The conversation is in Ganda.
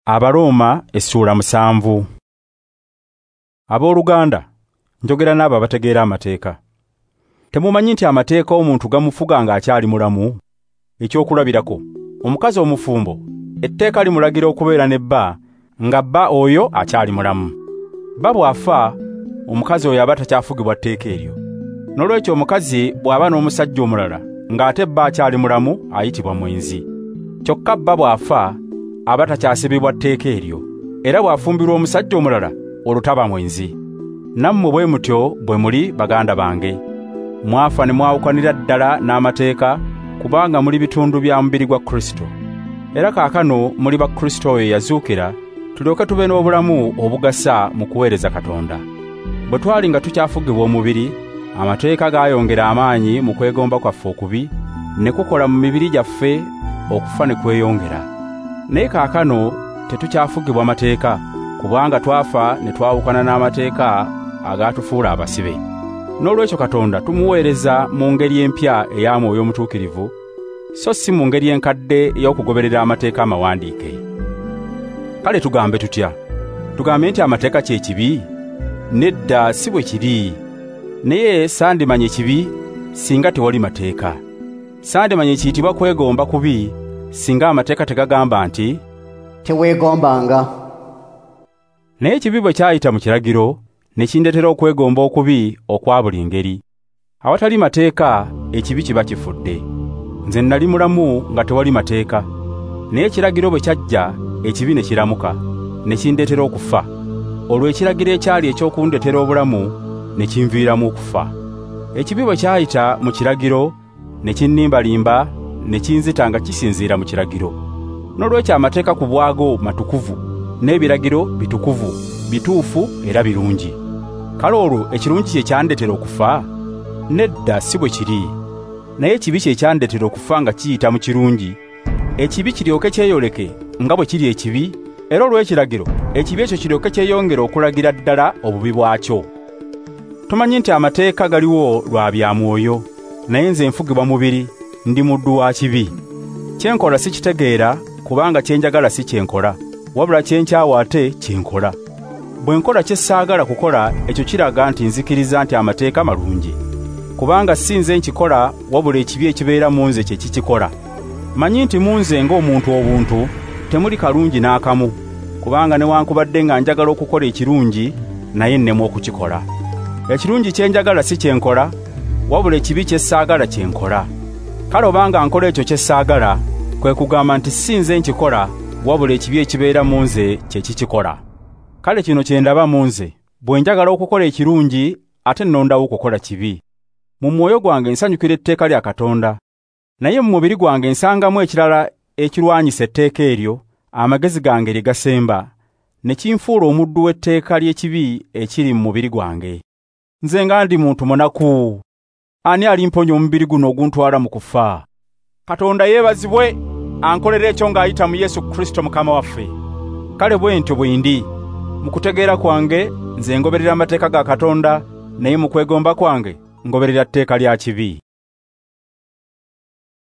Abaroma essuula 7. Abooluganda, njogera n'abo abategeera amateeka. Temumanyi nti amateeka omuntu gamufuga ng'akyali mulamu? Ekyokulabirako, omukazi omufumbo etteeka limulagira okubeera ne bba nga bba oyo akyali mulamu. Bba bw'afa, omukazi oyo aba takyafugibwa tteeka eryo. Noolwekyo omukazi bw'aba n'omusajja omulala ng'ate bba akyali mulamu ayitibwa mwenzi. Kyokka bba bw'afa aba takyasibibwa tteeka eryo, era bw'afumbirwa omusajja omulala olwo taba mwenzi. Nammwe bwe mutyo bwe muli baganda bange. Mwafa ne mwawukanira ddala n'amateeka kubanga muli bitundu bya mubiri gwa Kristo. Era kaakano muli ba Kristo oyo yazuukira, tulyoke tube n'obulamu obugasa mu kuweereza Katonda. Bwe twali nga tukyafugibwa omubiri, amateeka gaayongera amaanyi mu kwegomba kwaffe okubi, ne kukola mu mibiri gyaffe okufa ne kweyongera. Naye kaakano tetukyafugibwa mateeka, kubanga twafa ne twawukana n'amateeka agaatufuula abasibe. Noolwekyo Katonda tumuweereza mu ngeri empya eya Mwoyo Omutuukirivu, so si mu ngeri enkadde ey'okugoberera amateeka amawandiike. Kale tugambe tutya? Tugambe nti amateeka kye kibi? Nedda, si bwe kiri. Naye sandimanye kibi singa tewali mateeka. Sandimanye kiyitibwa kwegomba kubi singa amateeka tegagamba nti teweegombanga. Naye ekibi bwe kyayita mu kiragiro ne kindeetera okwegomba okubi okwa buli ngeri. Awatali mateeka ekibi kiba kifudde. Nze nali mulamu nga tewali mateeka, naye ekiragiro bwe kyajja ekibi ne kiramuka, ne kindeetera okufa. Olwo ekiragiro ekyali eky'okundetera obulamu ne kinviiramu okufa. Ekibi bwe kyayita mu kiragiro ne kinnimbalimba ne kinzita nga kisinziira mu kiragiro. Noolwekyo amateeka ku bwago matukuvu, n'ebiragiro bitukuvu, bituufu era birungi. Kale olwo ekirungi kye kyandetera okufa? Nedda, si bwe kiri. Naye ekibi kye kyandetera okufa nga kiyita mu kirungi, ekibi kiryoke kyeyoleke nga bwe kiri ekibi, era olw'ekiragiro ekibi ekyo kiryoke kyeyongere okulagira ddala obubi bwakyo. Tumanyi nti amateeka galiwo lwa bya mwoyo, naye nze nfugibwa mubiri, ndi muddu wa kibi. Kye nkola si kitegeera, kubanga kye njagala si kye nkola, wabula kye nkyawa ate kye nkola. Bwe nkola kye saagala kukola, ekyo kiraga nti nzikiriza nti amateeka malungi. Kubanga si nze nkikola, wabula ekibi ekibeera mu nze kye kikikola. Manyi nti mu nze ng'omuntu obuntu temuli kalungi n'akamu, kubanga newankubadde nga njagala okukola ekirungi, naye nnemwa okukikola. Ekirungi kye njagala si kye nkola, wabula ekibi kye saagala kye nkola. Kale obanga nkola ekyo kye saagala, kwe kugamba nti si nze nkikola, wabula ekibi ekibeera mu nze kye kikikola. Kale kino kye ndaba mu nze, bwe njagala okukola ekirungi ate nnondawo okukola kibi. Mu mwoyo gwange nsanyukira etteeka lya Katonda, naye mu mubiri gwange nsangamu ekirala ekirwanyisa etteeka eryo, amagezi gange lye gasemba, ne kinfuula omuddu w'etteeka ly'ekibi ekiri mu mubiri gwange. Nze nga ndi muntu munaku! Ani alimponya omubiri guno oguntwala mu kufa? Katonda yeebazibwe ankolera ekyo ng'ayita mu Yesu Kristo Mukama waffe. Kale bwe ntyo bwe ndi. Mu kutegeera kwange nze ngoberera amateeka ga Katonda, naye mu kwegomba kwange ngoberera tteeka lya kibi.